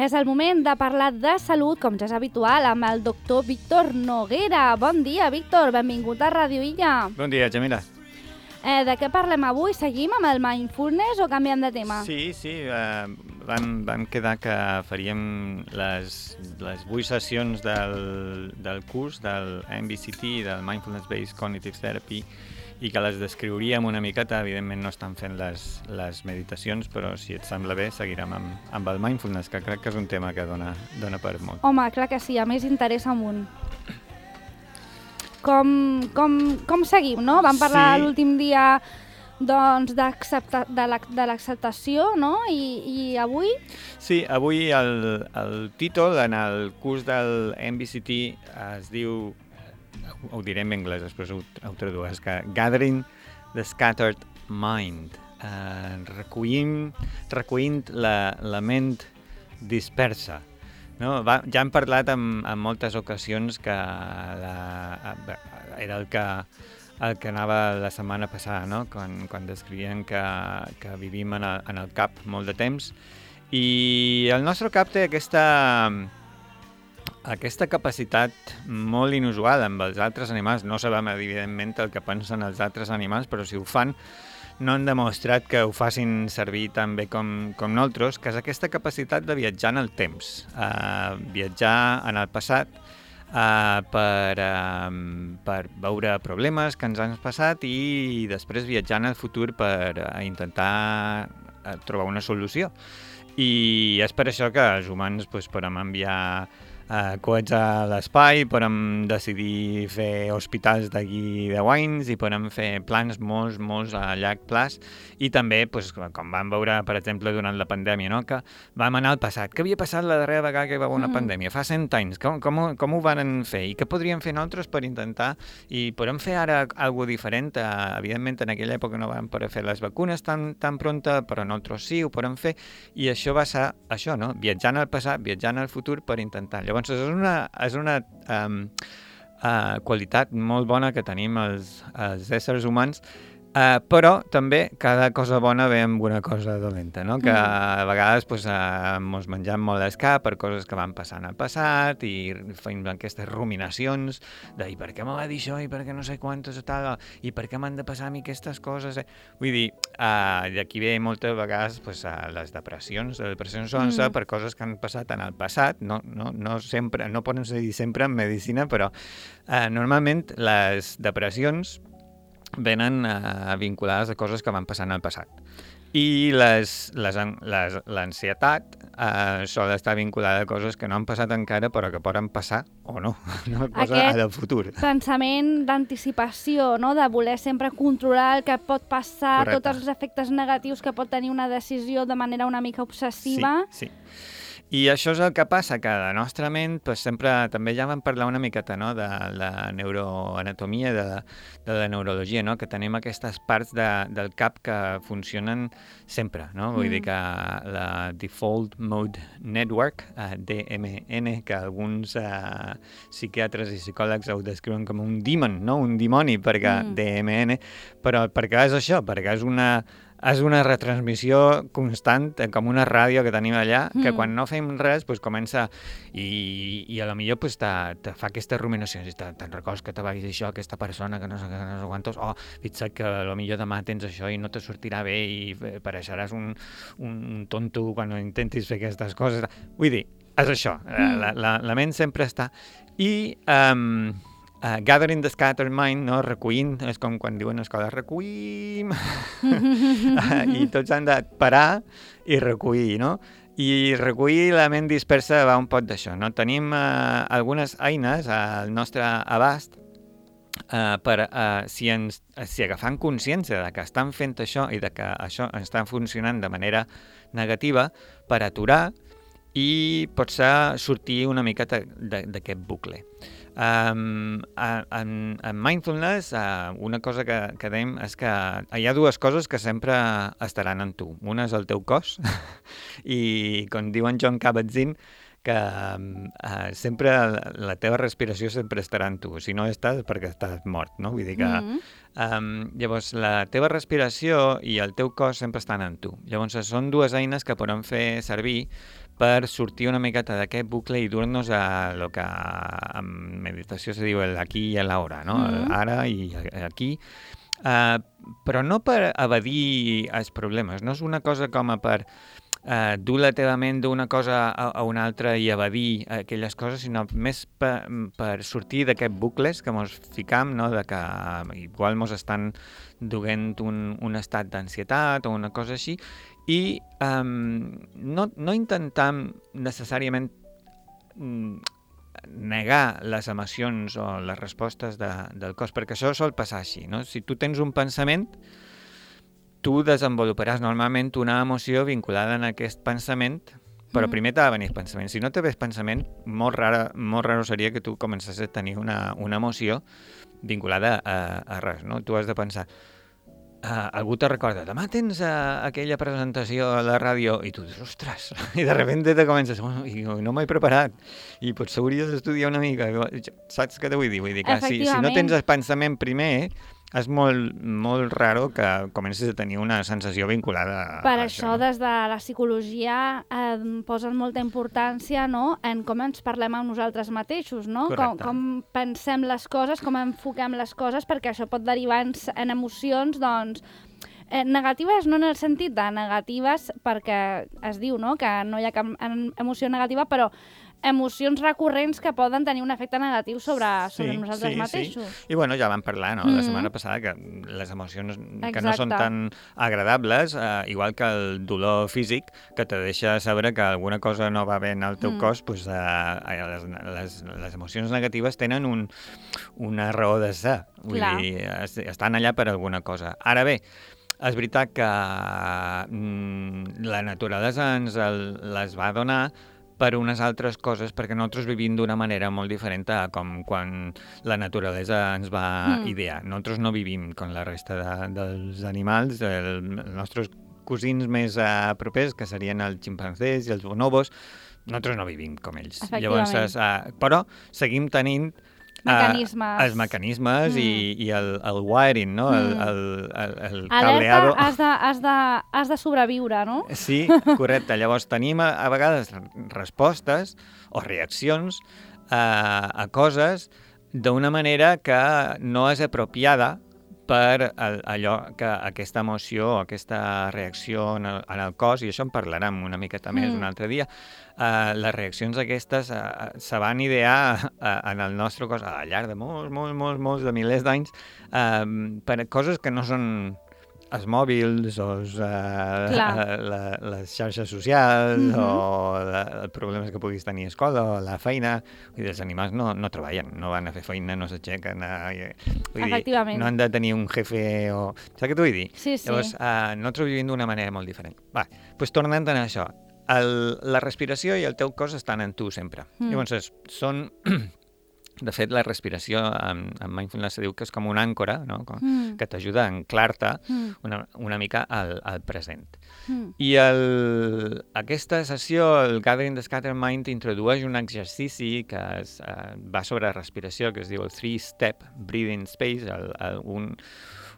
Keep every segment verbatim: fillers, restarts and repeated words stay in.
És el moment de parlar de salut, com ja és habitual, amb el doctor Víctor Noguera. Bon dia, Víctor, benvingut a Ràdio Illa. Bon dia, Jamila. Eh, de què parlem avui? Seguim amb el mindfulness o canviem de tema? Sí, sí, eh, vam, vam quedar que faríem les, les vuit sessions del, del curs del M B C T, del Mindfulness Based Cognitive Therapy, i que les descriuríem una miqueta. Evidentment no estan fent les, les meditacions, però si et sembla bé seguirem amb, amb el mindfulness, que crec que és un tema que dona, dona per molt. Home, clar que sí, a més interessa amunt. Com, com, com seguim, no? Vam parlar sí. l'últim dia doncs, de l'acceptació, no? I, I avui? Sí, avui el, el títol en el curs del M B C T es diu, ho diré en anglès, després ho, ho tradueix, que Gathering the Scattered Mind, eh, recollim, recollint la, la ment dispersa. No? Va, ja hem parlat en, en moltes ocasions que la, era el que, el que anava la setmana passada, no? quan, quan descrivien que, que vivim en el, en el cap molt de temps, i el nostre cap té aquesta, aquesta capacitat molt inusual amb els altres animals. No sabem, evidentment, el que pensen els altres animals, però si ho fan, no han demostrat que ho facin servir tan bé com, com nosaltres, que és aquesta capacitat de viatjar en el temps, uh, viatjar en el passat uh, per, uh, per veure problemes que ens han passat i després viatjar en el futur per uh, intentar uh, trobar una solució. I és per això que els humans pues, podem enviar Uh, coets a l'espai, podem decidir fer hospitals d'aquí deu anys i podem fer plans molts, molts a llarg plaç, i també, pues, com vam veure, per exemple, durant la pandèmia, no? Que vam anar al passat. Què havia passat la darrera vegada que hi va haver una mm. pandèmia? Fa cent anys. Com, com, com ho van fer? I què podríem fer nosaltres per intentar? I podem fer ara alguna diferent? Uh, evidentment, en aquella època no vam poder fer les vacunes tan, tan pronta, però nosaltres sí, ho podem fer. I això va ser això, no? Viatjant al passat, viatjant al futur per intentar. Llavors, és una, és una um, uh, qualitat molt bona que tenim els, els éssers humans, uh, però també cada cosa bona ve amb una cosa dolenta, no? Que a vegades pues, uh, ens mengem molt l'escap per coses que van passar en el passat i fem aquestes ruminacions de i per què m'ho va dir això, i per què no sé quantes o tal, i per què m'han de passar a mi aquestes coses. Eh? Vull dir, uh, d'aquí ve moltes vegades pues, uh, les depressions. Les depressions són mm. per coses que han passat en el passat, no, no, no, sempre, no poden ser sempre en medicina, però uh, normalment les depressions venen uh, vinculades a coses que van passar en el passat. I les, les, les, l'ansietat uh, sol estar vinculada a coses que no han passat encara però que poden passar o no, no cosa del futur. Pensament d'anticipació, no? De voler sempre controlar el que pot passar, correcte. Tots els efectes negatius que pot tenir una decisió de manera una mica obsessiva. Sí, sí. I això és el que passa, que la nostra ment, pues, sempre, també ja vam parlar una miqueta, no?, de la neuroanatomia, de la, de la neurologia, no?, que tenim aquestes parts de, del cap que funcionen sempre, no? Vull mm. dir que la Default Mode Network, uh, D M N, que alguns uh, psiquiatres i psicòlegs ho descriuen com un demon, no?, un dimoni, perquè mm. D M N, però perquè és això, perquè és una... És una retransmissió constant, com una ràdio que tenim allà, mm. que quan no fem res pues, comença i, i a lo millor pues, te, te fa aquestes ruminacions. I te, te'n recordes que te va dir això, aquesta persona, que no sé, que no sé quantos, oh, fixa't que a lo millor demà tens això i no te sortirà bé i pareixeràs un, un tonto quan intentis fer aquestes coses. Vull dir, és això, mm. la, la, la ment sempre està. I... Um, Uh, gathering the scattered mind, no? Recollint, és com quan diuen a l'escola, recollim, uh, i tots han de parar i recollir, no? I recollir la ment dispersa va un pot d'això, no? Tenim uh, algunes eines al nostre abast uh, per, uh, si, ens, si agafant consciència de que estan fent això i de que això està funcionant de manera negativa, per aturar i potser sortir una miqueta d'aquest bucle. Um, en, en mindfulness, uh, una cosa que, que dèiem és que hi ha dues coses que sempre estaran en tu. Una és el teu cos i, com diuen Jon Kabat-Zinn, que uh, sempre la teva respiració sempre estarà en tu. Si no estàs, perquè estàs mort, no? Vull dir que... Mm-hmm. Um, llavors, la teva respiració i el teu cos sempre estan en tu. Llavors, són dues eines que podem fer servir per sortir una miqueta d'aquest bucle i dur-nos a lo que en meditació se diu el aquí i l'ara, no? Mm-hmm. Ara i aquí. Uh, però no per evadir els problemes, no és una cosa com a per uh, dur la teva ment d'una cosa a, a una altra i evadir aquelles coses, sinó més per, per sortir d'aquests bucles que ens ficam, no? De que igual ens estan duent un, un estat d'ansietat o una cosa així, i um, no, no intentam necessàriament mm, negar les emocions o les respostes de, del cos, perquè això sol passar així, no? Si tu tens un pensament, tu desenvoluparàs normalment una emoció vinculada en aquest pensament, però mm. primer t'ha de venir pensament. Si no te ves pensament, molt raro, molt raro seria que tu comences a tenir una, una emoció vinculada a, a res, no? Tu has de pensar, Uh, algú te recorda, demà tens uh, aquella presentació a la ràdio i tu dius, ostres, i de repente te comences, oh, i no m'he preparat i potser hauries d'estudiar una mica, saps què te vull dir? Vull dir que si, si no tens el pensament primer, és molt, molt raro que comencis a tenir una sensació vinculada a per això. Per això, des de la psicologia eh, posen molta importància, no?, en com ens parlem amb nosaltres mateixos, no? Com, com pensem les coses, com enfoquem les coses, perquè això pot derivar en, en emocions, doncs, eh, negatives no en el sentit de negatives, perquè es diu, no?, que no hi ha cap emoció negativa, però emocions recurrents que poden tenir un efecte negatiu sobre, sobre sí, nosaltres sí, mateixos. Sí. I bueno, ja vam parlar, no?, mm-hmm. la setmana passada, que les emocions Exacte. Que no són tan agradables, eh, igual que el dolor físic, que te deixa saber que alguna cosa no va bé en el teu mm. cos, pues, eh, les, les, les emocions negatives tenen un, una raó de ser. Vull Clar. dir, estan allà per alguna cosa. Ara bé, és veritat que mm, la naturalesa ens el, les va donar per unes altres coses, perquè nosaltres vivim d'una manera molt diferent a com quan la naturalesa ens va mm. idear. Nosaltres no vivim com la resta de, dels animals, el, els nostres cosins més uh, propers, que serien els ximpanzés i els bonobos, nosaltres no vivim com ells. Llavors, uh, però seguim tenint mecanismes. Uh, els mecanismes mm. i, i el, el wiring, no? Mm. El, el, el, el cableado. Alerta, has de, has, de, has de sobreviure, no? Sí, correcte. Llavors tenim a, a vegades respostes o reaccions a, a coses d'una manera que no és apropiada per allò que aquesta emoció o aquesta reacció en el, en el cos, i això en parlarem una miqueta més mm. un altre dia, uh, les reaccions aquestes uh, se van idear uh, en el nostre cos al llarg de molts, molts, molts, molts de milers d'anys uh, per coses que no són els mòbils o els, uh, la, les xarxes socials mm-hmm. o la, els problemes que puguis tenir a escola o a la feina. Vull dir, els animals no, no treballen, no van a fer feina, no s'aixequen. Efectivament. No han de tenir un jefe o... Saps què t'ho vull dir? Sí, sí. Llavors, uh, nosaltres vivim d'una manera molt diferent. Va, doncs tornant a això, el, la respiració i el teu cos estan en tu sempre. Mm. Llavors, són... De fet, la respiració en, en mindfulness se diu que és com una àncora, no? Com, mm. que t'ajuda a anclar-te mm. una, una mica al, al present. Mm. I el, aquesta sessió, el Gathering the Scattered Mind, introdueix un exercici que es, uh, va sobre respiració, que es diu el three-step breathing space, el, el, un,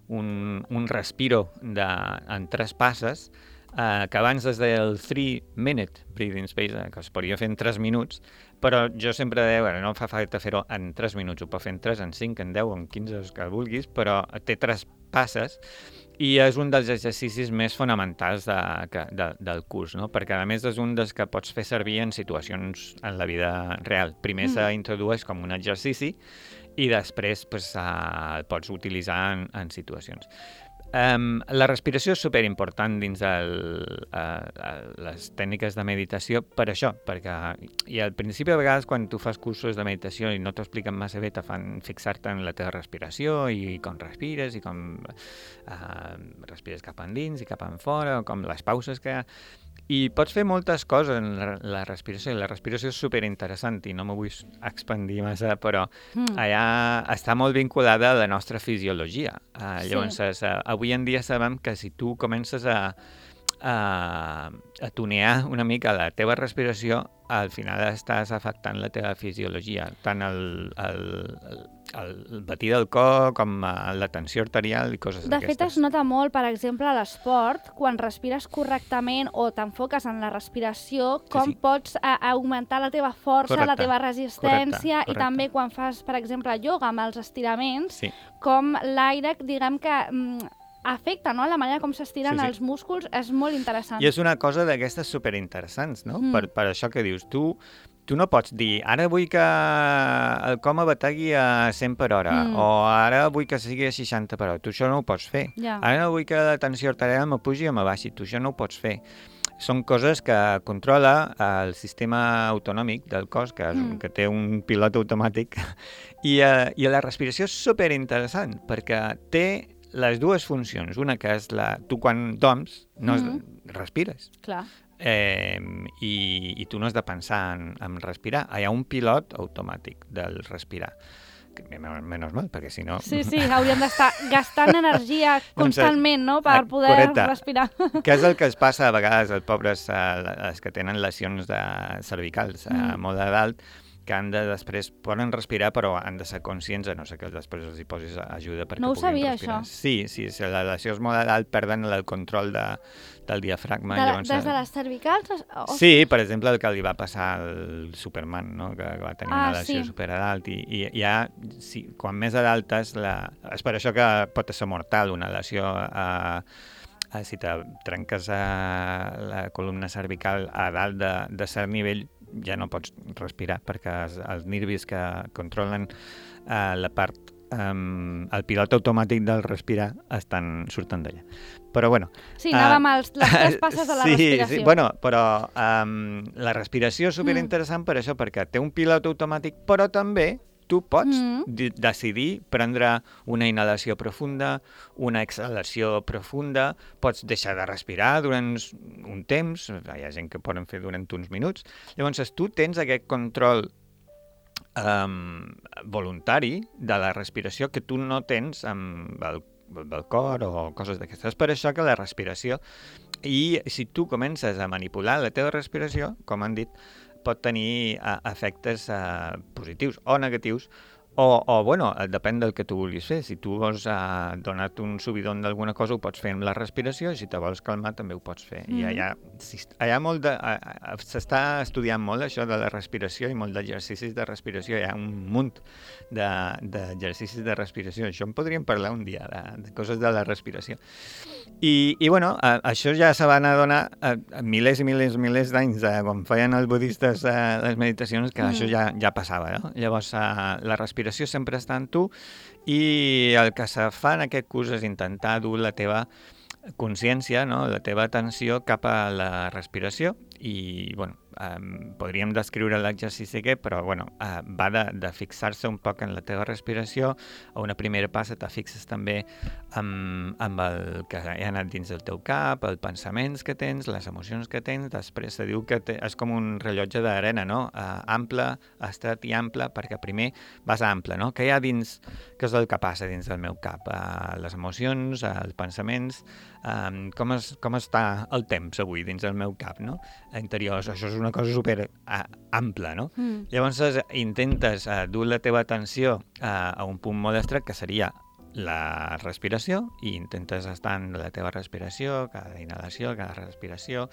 un, un respiro de, en tres passes, Uh, que abans es deia el three-minute breathing space, uh, que es podria fer en tres minuts, però jo sempre deia, bueno, no fa falta fer-ho en tres minuts, ho pot fer en tres, en cinc, en deu, en quinze, els que vulguis, però té tres passes i és un dels exercicis més fonamentals de, que, de, del curs, no? Perquè a més és un dels que pots fer servir en situacions en la vida real. Primer mm. s'introdueix com un exercici i després pues, uh, el pots utilitzar en, en situacions. Um, la respiració és superimportant dins el, uh, les tècniques de meditació per això, perquè i al principi a vegades quan tu fas cursos de meditació i no t'ho expliquen massa bé, te fan fixar-te en la teva respiració i com respires i com uh, respires cap endins i cap enfora, o com les pauses que hi ha. I pots fer moltes coses en la, la respiració, i la respiració és superinteressant i no m'ho vull expandir massa, però mm. allà està molt vinculada a la nostra fisiologia. Uh, sí. Llavors, uh, avui en dia sabem que si tu comences a, a, a tunear una mica la teva respiració, al final estàs afectant la teva fisiologia, tant el, el, el batir del cor, com la tensió arterial i coses de d'aquestes. De fet, es nota molt, per exemple, a l'esport, quan respires correctament o t'enfoques en la respiració, com sí, sí. pots a, augmentar la teva força, correcte, la teva resistència, correcte, correcte. I també quan fas, per exemple, ioga amb els estiraments, sí. com l'aire, diguem que... Mm, afecta, no? La manera com s'estiren sí, sí. els músculs és molt interessant. I és una cosa d'aquestes superinteressants, no? Mm. Per, per això que dius, tu, tu no pots dir ara vull que el coma bategui a cent per hora mm. o ara vull que sigui a seixanta per hora. Tu això no ho pots fer. Yeah. Ara no vull que la tensió arterial me pugi o me baixi. Tu això no ho pots fer. Són coses que controla el sistema autonòmic del cos, que, és, mm. que té un pilot automàtic, i, uh, i la respiració és superinteressant, perquè té les dues funcions. Una que és la... Tu quan dorms no mm-hmm. respires. Clar. Eh, i, I tu no has de pensar en, en respirar. Hi ha un pilot automàtic del respirar. Que, menys mal, perquè si no... Sí, sí, hauríem d'estar gastant energia constantment, no?, per poder correcte. Respirar. Que és el que es passa a vegades als pobres, els que tenen lesions de cervicals mm. a molt de dalt, que han de després, poden respirar, però han de ser conscients, a no ser que després els hi posis ajuda perquè no ho puguin sabia, respirar. Això. Sí, sí, si la lesió és molt dalt, perden el control de, del diafragma. De, llavors, des de les cervicals? O... Sí, per exemple, el que li va passar al Superman, no? Que va tenir ah, una lesió sí. super a dalt, i, i ja, sí, quan més a dalt és, la... és per això que pot ser mortal una lesió a... si te trenques a la columna cervical a dalt de, de cert nivell, ja no pots respirar, perquè els, els nervis que controlen uh, la part, um, el pilot automàtic del respirar estan surten d'allà. Però bueno... Sí, anàvem uh, als, les tres passes de la sí, respiració. Sí, bueno, però um, la respiració és superinteressant mm. per això, perquè té un pilot automàtic, però també tu pots mm. decidir prendre una inhalació profunda, una exhalació profunda, pots deixar de respirar durant un temps, hi ha gent que poden fer durant uns minuts. Llavors, tu tens aquest control um, voluntari de la respiració que tu no tens amb el, el cor o coses d'aquestes. És per això que la respiració, i si tu comences a manipular la teva respiració, com han dit, pot tenir uh, efectes uh, positius o negatius, o, o bueno, depèn del que tu vulguis fer. Si tu vols uh, donar-te un subidon d'alguna cosa, ho pots fer amb la respiració, i si te vols calmar, també ho pots fer. Mm. I hi ha, si, hi ha molt de... Uh, s'està estudiant molt això de la respiració i molt d'exercicis de respiració. Hi ha un munt d'exercicis de, de respiració. Això en podríem parlar un dia, de, de coses de la respiració. I, i bueno, uh, això ja se van adonar uh, milers i milers i milers d'anys, uh, quan feien els budistes uh, les meditacions, que mm. això ja, ja passava, no? Llavors, uh, la respiració sempre està en tu, i el que se fa en aquest curs és intentar dur la teva consciència, no? La teva atenció cap a la respiració, i bueno, um, podríem descriure l'exercici aquest, però bueno, uh, va de, de fixar-se un poc en la teva respiració. A una primera passa te fixes també amb, amb el que ha anat dins del teu cap, els pensaments que tens, les emocions que tens. Després se diu que te, és com un rellotge d'arena, no? Uh, ample, estret i ample, perquè primer vas a ample, no? Què hi ha dins, què és el que passa dins del meu cap? Uh, les emocions, uh, els pensaments, um, com, es, com està el temps avui dins del meu cap, no? Interiors, això és una cosa super uh, ampla, no? Mm. Llavors intentes uh, dur la teva atenció uh, a un punt molt estret, que seria la respiració, i intentes estar en la teva respiració, cada inhalació, cada respiració,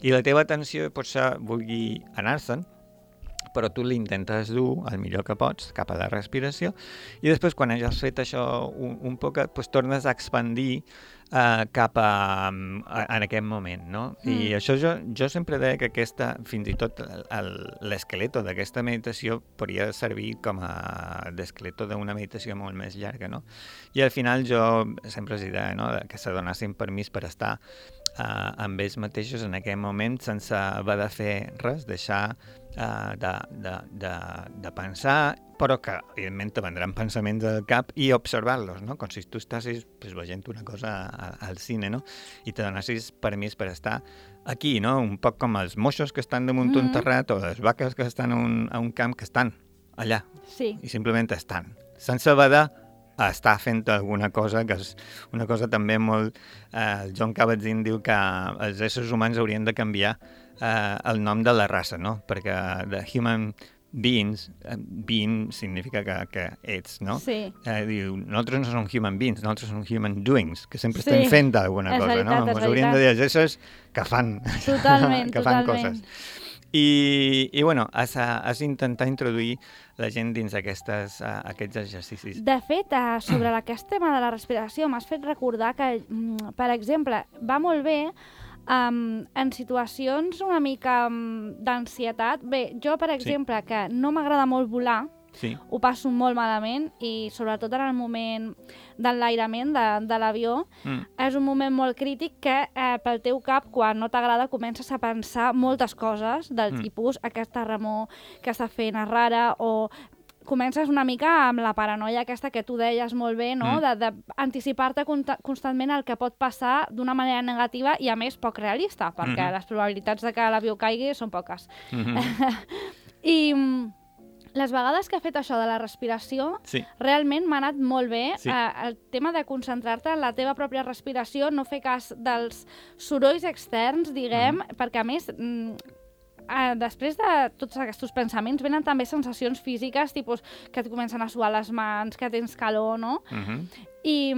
i la teva atenció potser vulgui anar-se'n, però tu l'intentes dur el millor que pots cap a la respiració, i després quan hagis fet això un, un poc, pues, tornes a expandir uh, cap a, a, en aquest moment, no? Mm. I això jo, jo sempre deia que aquesta, fins i tot l'esqueleto d'aquesta meditació podria servir com a l'esqueleto d'una meditació molt més llarga, no? I al final jo sempre els deia, no?, que se donessin permís per estar uh, amb ells mateixos en aquest moment sense haver de fer res, deixar Uh, de, de, de, de pensar, però que evidentment te vendran pensaments al cap, i observar-los, no? Com si tu estàssis pues, veient una cosa a, al cine, no? I te donessis permís per estar aquí, no? Un poc com els moixos que estan damunt mm-hmm. un terrat, o les vaques que estan a un, a un camp, que estan allà, sí. I simplement estan, sense haver de estar fent alguna cosa, que és una cosa també molt... Eh, el John Kabat-Zinn diu que els éssers humans haurien de canviar eh, el nom de la raça, no? Perquè the human beings, being significa que, que ets, no? Sí. Eh, diu, nosaltres no som human beings, nosaltres som human doings, que sempre sí. estem fent alguna és cosa, veritat, no? Ens hauríem de dir els éssers que fan, totalment, que fan totalment. coses. I, i bueno, has, has d'intentar introduir la gent dins aquestes, uh, aquests exercicis. De fet, uh, sobre aquest tema de la respiració, m'has fet recordar que, mm, per exemple, va molt bé Um, en situacions una mica um, d'ansietat. Bé, jo, per exemple, sí. que no m'agrada molt volar, sí. ho passo molt malament i sobretot en el moment d'enlairament de, de l'avió, mm. és un moment molt crític que eh, pel teu cap, quan no t'agrada, comences a pensar moltes coses del mm. tipus aquesta remor que està fent és rara, o comences una mica amb la paranoia aquesta que tu deies molt bé, no? Mm. d'anticipar-te constantment el que pot passar d'una manera negativa i, a més, poc realista, perquè mm-hmm. les probabilitats de que l'avió caigui són poques. Mm-hmm. I les vegades que he fet això de la respiració, sí. realment m'ha anat molt bé. Sí. Eh, el tema de concentrar-te en la teva pròpia respiració, no fer cas dels sorolls externs, diguem, mm-hmm. perquè, a més... Uh, després de tots aquests pensaments venen també sensacions físiques, tipus que et comencen a suar les mans, que tens calor, no? Uh-huh. I,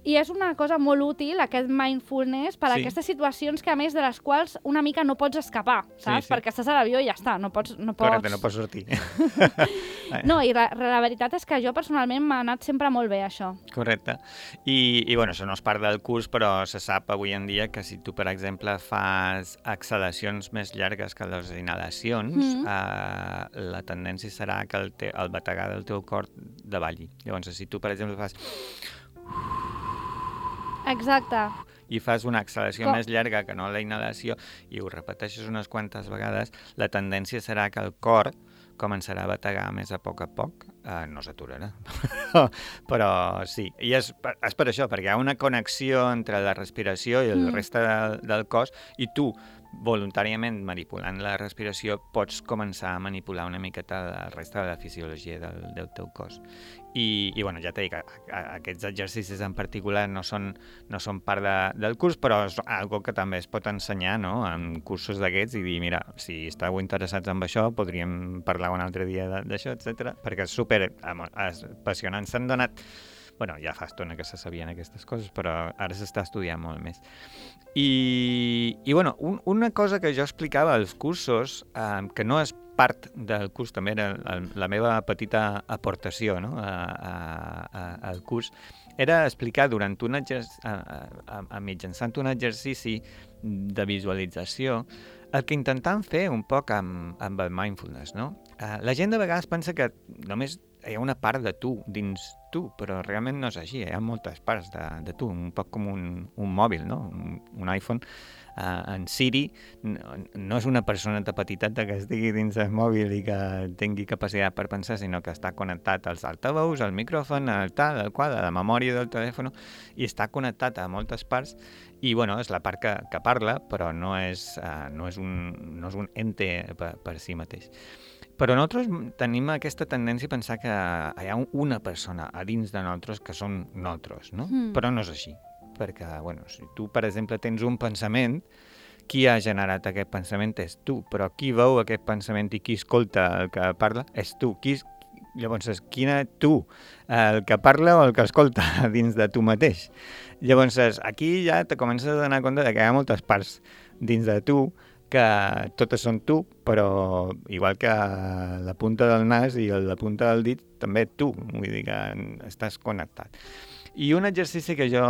I és una cosa molt útil, aquest mindfulness, per a sí. aquestes situacions que, a més, de les quals una mica no pots escapar, saps? Sí, sí. Perquè estàs a l'avió i ja està, no pots... No pots... Correcte, no pots sortir. No, i la, la veritat és que jo personalment m'ha anat sempre molt bé, això. Correcte. I, i bueno, això no és part del curs, però se sap avui en dia que si tu, per exemple, fas exhalacions més llargues que les inhalacions, mm-hmm. eh, la tendència serà que el, te, el bategar del teu cor davalli. Llavors, si tu, per exemple, fas... Exacte. I fas una exhalació Com? més llarga que no la inhalació i ho repeteixes unes quantes vegades, la tendència serà que el cor començarà a bategar més a poc a poc. Uh, no s'aturarà, però sí. I és, és per això, perquè hi ha una connexió entre la respiració i el mm. reste del, del cos i tu, voluntàriament manipulant la respiració, pots començar a manipular una miqueta el reste de la fisiologia del, del teu cos. I, i bueno, ja t'he dit que aquests exercicis en particular no són, no són part de, del curs, però és algo que també es pot ensenyar, no?, en cursos d'aquests i dir, mira, si esteu interessats en això, podríem parlar un altre dia d'això, etcètera, perquè és super apassionant. S'han donat... Bueno, ja fa estona que se sabien aquestes coses, però ara s'està estudiant molt més. I, i bueno, un, una cosa que jo explicava als cursos, eh, que no és part del curs, també era la, la meva petita aportació, no?, a, a, a, al curs, era explicar durant un exercici, a, a, a mitjançant un exercici de visualització el que intentem fer un poc amb, amb el mindfulness, no? Eh, la gent de vegades pensa que només hi ha una part de tu dins tu, però realment no és així, hi ha moltes parts de, de tu, un poc com un, un mòbil, no? Un, un iPhone. Uh, en Siri no, no és una persona de petitat que estigui dins el mòbil i que tingui capacitat per pensar, sinó que està connectat als altaveus, al micròfon, al tal, al qual, a la memòria del telèfon, i està connectat a moltes parts, i bueno, és la part que, que parla, però no és, uh, no és, un, no és un ente per, per si mateix. Però nosaltres tenim aquesta tendència a pensar que hi ha una persona a dins de nosaltres que són nosaltres, no? Mm. Però no és així. Perquè, bueno, si tu, per exemple, tens un pensament, qui ha generat aquest pensament és tu, però qui veu aquest pensament i qui escolta el que parla és tu. Qui, llavors, quina tu, el que parla o el que escolta dins de tu mateix? Llavors, aquí ja te comences a donar compte que hi ha moltes parts dins de tu que totes són tu, però igual que la punta del nas i la punta del dit, també tu, vull dir que estàs connectat. I un exercici que jo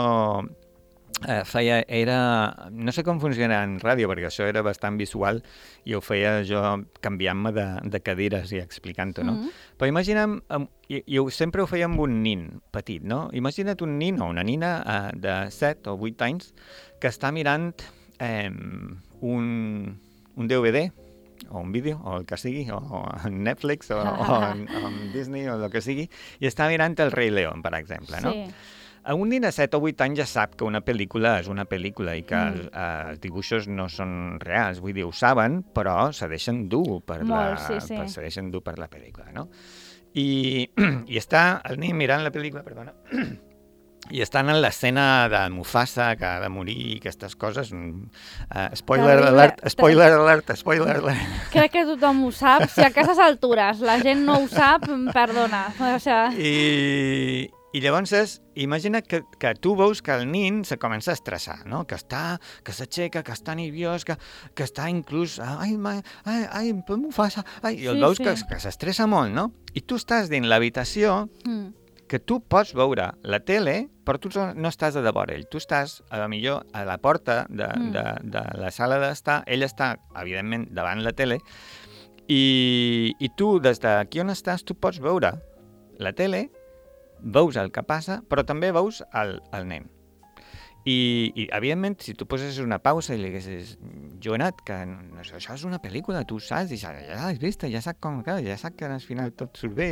eh, feia era... No sé com funciona en ràdio, perquè això era bastant visual i ho feia jo canviant-me de, de cadires i explicant-ho, no? Mm-hmm. Però imaginem, i, i sempre ho feia amb un nin petit, no? Imagina't un nin o una nina eh, de set o vuit anys que està mirant eh, un, un D V D o un vídeo, o el que sigui, o, o en Netflix, o, o, en, o en Disney, o el que sigui, i està mirant el Rei León, per exemple, no? Sí. Un nen de set o vuit anys ja sap que una pel·lícula és una pel·lícula i que mm. els, els dibuixos no són reals, vull dir, ho saben, però se deixen dur per, Molt, la, sí, sí. per, se deixen dur per la pel·lícula, no? I, i està el nen mirant la pel·lícula, perdona, i estan en l'escena de Mufasa, que ha de morir, i aquestes coses. Uh, spoiler Terrible. alert, spoiler alert, spoiler alert. Crec que tothom ho sap. Si a aquestes altures la gent no ho sap, perdona. O sigui... I, I llavors, és, imagina que, que tu veus que el nin se comença a estressar, no? Que està, que s'aixeca, que està nerviós, que, que està inclús... Ai, ai, ai, ai Mufasa... Ai, I el sí, veus sí. que, que s'estressa molt, no? I tu estàs dins l'habitació... Mm. que tu pots veure la tele, però tu no estàs a davant ell. Tu estàs, a la millor, a la porta de, mm. de, de la sala d'estar. Ell està, evidentment, davant la tele. I, i tu, des d'aquí on estàs, tu pots veure la tele, veus el que passa, però també veus el, el nen. I, i, evidentment, si tu poses una pausa i li haguessis Joanat, que no, això és una pel·lícula, tu saps, i ja, ja l'has vist, ja sap com acaba, ja sap que al final tot surt bé.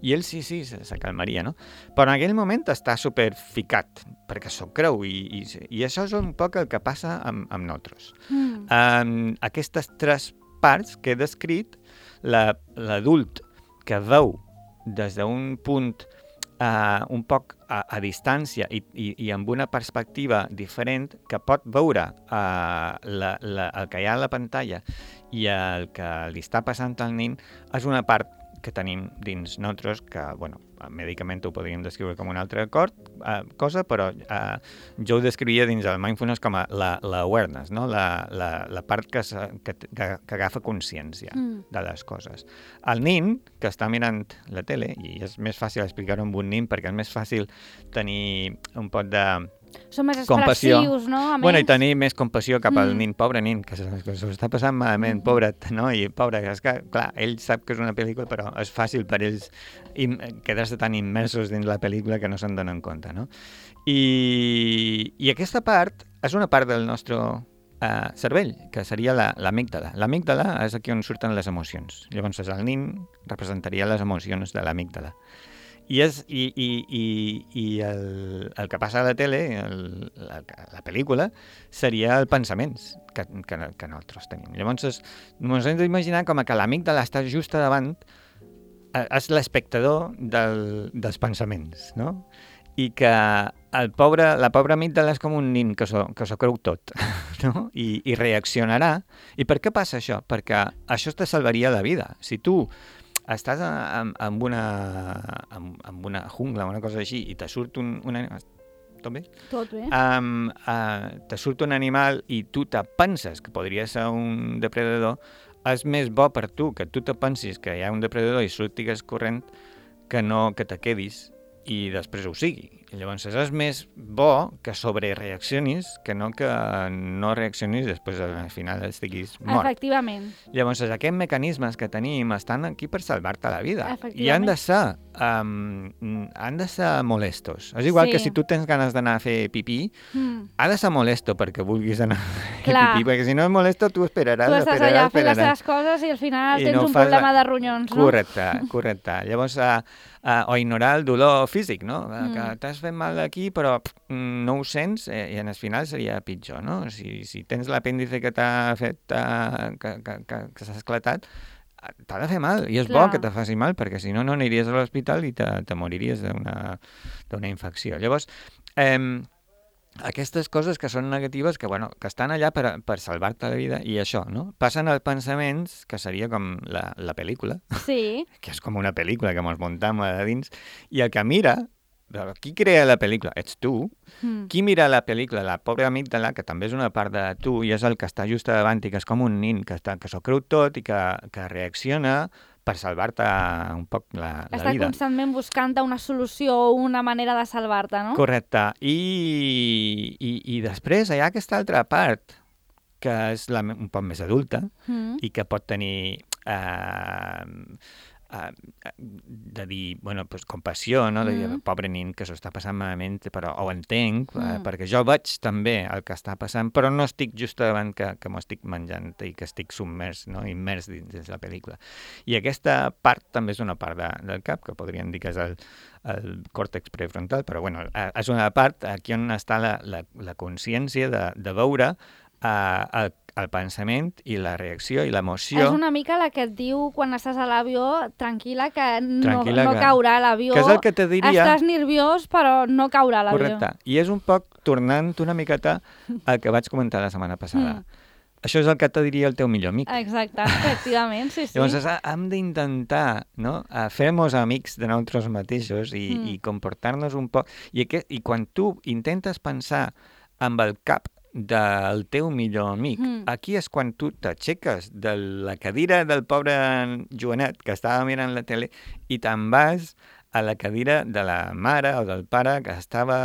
I ell sí, sí, se, se calmaria, no? Però en aquell moment està super ficat, perquè s'ho creu, i, i, i això és un poc el que passa amb, amb nosaltres. Mm. Um, aquestes tres parts que he descrit, la, l'adult que veu des d'un punt Uh, un poc a, a distància i, i, i amb una perspectiva diferent, que pot veure uh, la, la, el que hi ha a la pantalla i el que li està passant al nin, és una part que tenim dins nosaltres, que, bueno, mèdicament ho podríem descriure com una altra cor, uh, cosa, però uh, jo ho descrivia dins el mindfulness com a la, la awareness, no? la, la, la part que, que, que, que agafa consciència mm. de les coses. El nin, que està mirant la tele, i és més fàcil explicar-ho amb un nin perquè és més fàcil tenir un pot de... Són més expressius, no? A bueno, i tenir més compassió cap al mm. nin, pobre nin, que s'ho està passant malament, mm. pobret, no? I pobre, és que, clar, ell sap que és una pel·lícula, però és fàcil per ells im- quedar-se tan immersos dins la pel·lícula que no se'n donen compte, no? I, i aquesta part és una part del nostre uh, cervell, que seria la, l'amígdala. L'amígdala és aquí on surten les emocions. Llavors, el nin representaria les emocions de l'amígdala. I, és, i, i, i, i el, el que passa a la tele, el, la, la pel·lícula, seria els pensaments que, que, que nosaltres tenim. Llavors, es, ens hem d'imaginar com que l'amígdala està just davant, és l'espectador del, dels pensaments, no? I que el pobre, la pobra amígdala és com un nin que s'ho, que s'ho creu tot, no? I, i reaccionarà. I per què passa això? Perquè això te salvaria la vida. Si tu estàs amb, amb, una, amb, amb una jungla o una cosa així i te surt un, un animal... Tot bé? Tot bé. Um, uh, te surt un animal i tu te penses que podria ser un depredador, és més bo per tu que tu te pensis que hi ha un depredador i surtigues corrent que no que te quedis i després ho sigui. I llavors és més bo que sobrereaccionis que no que no reaccionis i després al final estiguis mort. Efectivament. Llavors aquests mecanismes que tenim estan aquí per salvar-te la vida i han de ser um, han de ser molestos. És igual sí. que si tu tens ganes d'anar a fer pipí, mm. ha de ser molesto perquè vulguis anar a fer Clar. pipí, perquè si no és molesto tu esperaràs, tu estàs esperaràs, allà esperaràs. fent les teves coses i al final I tens no un problema de ronyons, no? Correcte, correcte. Llavors, uh, uh, o ignorar el dolor físic, no? Mm. Que t'has fet mal aquí, però pff, no ho sents, eh, i en el final seria pitjor, no? Si, si tens l'apèndice que t'ha fet, uh, que, que, que, que s'ha esclatat, t'ha de fer mal, i és Clar. bo que te faci mal, perquè si no, no aniries a l'hospital i te, te moriries d'una, d'una infecció. Llavors, eh, aquestes coses que són negatives, que, bueno, que estan allà per, per salvar-te la vida, i això, no? Passen als pensaments, que seria com la, la pel·lícula, sí. que és com una pel·lícula que ens muntam a dins, i el que mira, qui crea la pel·lícula? Ets tu. Mm. Qui mira la pel·lícula? La pobra amígdala, que també és una part de tu, i és el que està just davant, i que és com un nin, que, està, que s'ho creu tot i que, que reacciona per salvar-te un poc la, la Està vida. Està constantment buscant una solució o una manera de salvar-te, no? Correcte. I, i, i després hi ha aquesta altra part, que és la, un poc més adulta, mm. i que pot tenir... Eh, Uh, de dir, bueno, pues, compassió, no? De dir, mm. pobre nin que s'ho està passant malament, però ho entenc, mm. uh, perquè jo veig també el que està passant, però no estic just davant que, que m'ho estic menjant i que estic submers, no? Immers dins de la pel·lícula. I aquesta part també és una part de, del cap, que podríem dir que és el, el còrtex prefrontal, però bueno, és una part aquí on està la, la, la consciència de, de veure Uh, el, el pensament i la reacció i l'emoció... És una mica la que et diu quan estàs a l'avió, tranquil·la, que no, tranquil·la no que... caurà l'avió. Que és el que te diria... Estàs nerviós, però no caurà l'avió. Correcte. I és un poc tornant una miqueta al que vaig comentar la setmana passada. Mm. Això és el que te diria el teu millor amic. Exacte, efectivament, sí, sí. Llavors, hem d'intentar, no?, fer-nos amics de nosaltres mateixos i, mm. i comportar-nos un poc... I, aquest, I quan tu intentes pensar amb el cap del teu millor amic, mm. aquí és quan tu t'aixeques de la cadira del pobre Joanet que estava mirant la tele i te'n vas a la cadira de la mare o del pare que estava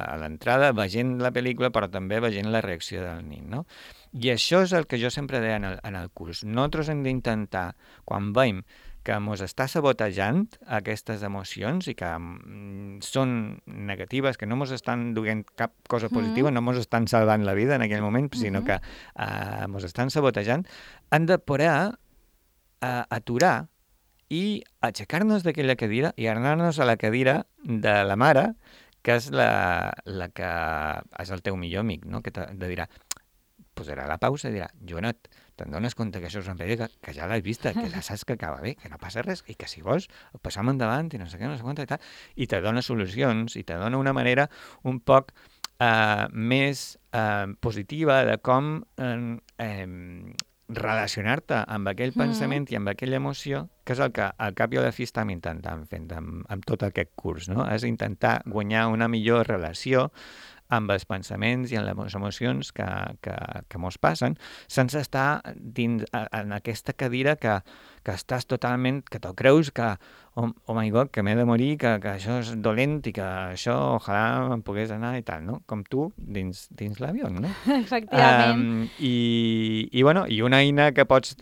a l'entrada veient la pel·lícula però també veient la reacció del nin, no? I això és el que jo sempre deia en el, en el curs. Nosaltres hem d'intentar, quan veiem que ens està sabotejant aquestes emocions i que mm, són negatives, que no ens estan duent cap cosa positiva, mm. no ens estan salvant la vida en aquell moment, mm-hmm. sinó que uh, ens estan sabotejant, han de poder uh, aturar i aixecar-nos d'aquella cadira i anar-nos a la cadira de la mare, que és la, la que és el teu millor amic, no? Que te, te dirà, posarà la pausa i dirà, Joanet, te'n dones compte que això és una pel·lícula que, que ja l'has vista, que ja saps que acaba bé, que no passa res, i que si vols passam endavant i no sé què, no sé quant i tal, i te dona solucions, i te dona una manera un poc eh, més eh, positiva de com eh, eh, relacionar-te amb aquell pensament mm. i amb aquella emoció, que és el que al cap i a la fi estem intentant fent amb, amb tot aquest curs, no? És intentar guanyar una millor relació amb els pensaments i amb les emocions que, que, que mos passen, sense estar dins, en aquesta cadira que, que estàs totalment, que te'l creus que, oh, oh my God, que m'he de morir, que, que això és dolent i que això ojalà em pogués anar i tal, no? Com tu dins, dins l'avió, no? Efectivament. Um, i, i, bueno, I una eina que pots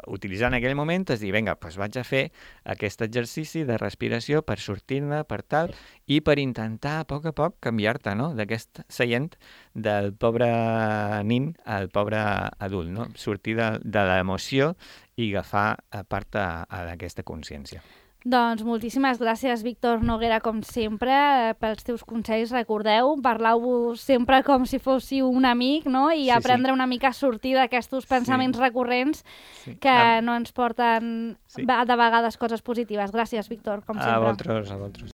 utilitzar en aquell moment és dir, vinga, doncs vaig a fer aquest exercici de respiració per sortir-ne, per tal, i per intentar a poc a poc canviar-te, no?, d'aquest seient del pobre nin al pobre adult, no? Sortir de, de l'emoció i agafar a part a, a aquesta consciència. Doncs moltíssimes gràcies, Víctor Noguera, com sempre, pels teus consells. Recordeu, parlau-vos sempre com si fóssiu un amic, no? I sí, aprendre sí. una mica a sortir d'aquests pensaments sí. recurrents sí. que um, no ens porten sí. de vegades coses positives. Gràcies, Víctor, com sempre. A vosaltres, a vosaltres.